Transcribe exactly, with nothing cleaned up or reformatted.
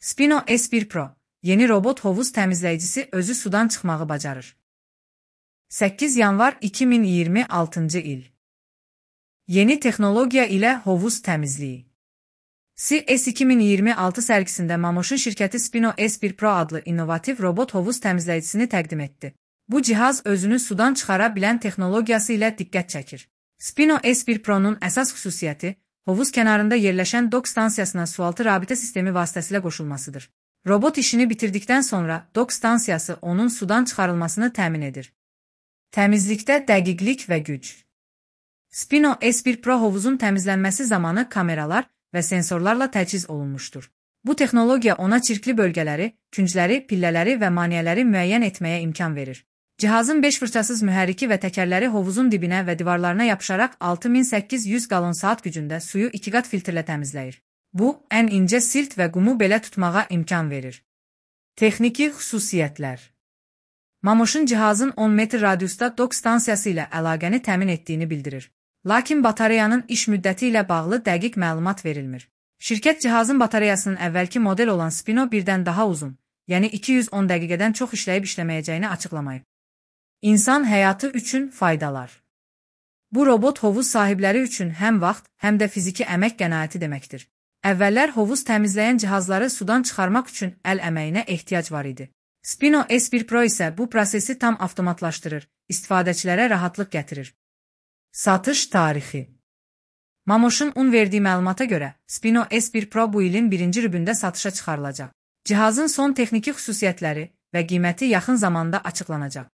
Spino S bir Pro, yeni robot hovuz təmizləyicisi özü sudan çıxmağı bacarır. səkkiz yanvar iki min iyirmi altıncı il. Yeni texnologiya ilə hovuz təmizliyi. C E S iki min iyirmi altı sərgisində Mamoş'un şirkəti Spino S bir Pro adlı innovativ robot hovuz təmizləyicisini təqdim etdi. Bu cihaz özünü sudan çıxara bilən texnologiyası ilə diqqət çəkir. Spino S bir Pro'nun əsas xüsusiyyəti, hovuz kənarında yerləşən dock stansiyasına sualtı rabitə sistemi vasitəsilə qoşulmasıdır. Robot işini bitirdikdən sonra dock stansiyası onun sudan çıxarılmasını təmin edir. Təmizlikdə dəqiqlik və güc. Spino S bir Pro hovuzun təmizlənməsi zamanı kameralar və sensorlarla təchiz olunmuşdur. Bu texnologiya ona çirkli bölgələri, küncləri, pillələri və maneələri müəyyən etməyə imkan verir. Cihazın beş fırçasız mühərriki və təkərləri hovuzun dibinə və divarlarına yapışaraq altı min səkkiz yüz qalon saat gücündə suyu iki qat filtrlə təmizləyir. Bu, ən incə silt və qumu belə tutmağa imkan verir. Texniki xüsusiyyətlər. Mamoş'un cihazın on metr radiusda dock stansiyası ilə əlaqəni təmin etdiyini bildirir. Lakin batareyanın iş müddəti ilə bağlı dəqiq məlumat verilmir. Şirkət cihazın batareyasının əvvəlki model olan Spino birdən daha uzun, yəni iki yüz on dəqiqədən çox işləyib işləməyəcəyini açıqlamayıb. İnsan həyatı üçün faydalar. Bu robot hovuz sahibləri üçün həm vaxt, həm də fiziki əmək qənaəti deməkdir. Əvvəllər hovuz təmizləyən cihazları sudan çıxarmaq üçün əl əməyinə ehtiyac var idi. Spino S bir Pro isə bu prosesi tam avtomatlaşdırır, istifadəçilərə rahatlıq gətirir. Satış tarixi. Mamoş'un un verdiyi məlumata görə, Spino S bir Pro bu ilin birinci rübündə satışa çıxarılacaq. Cihazın son texniki xüsusiyyətləri və qiyməti yaxın zamanda açıqlanacaq.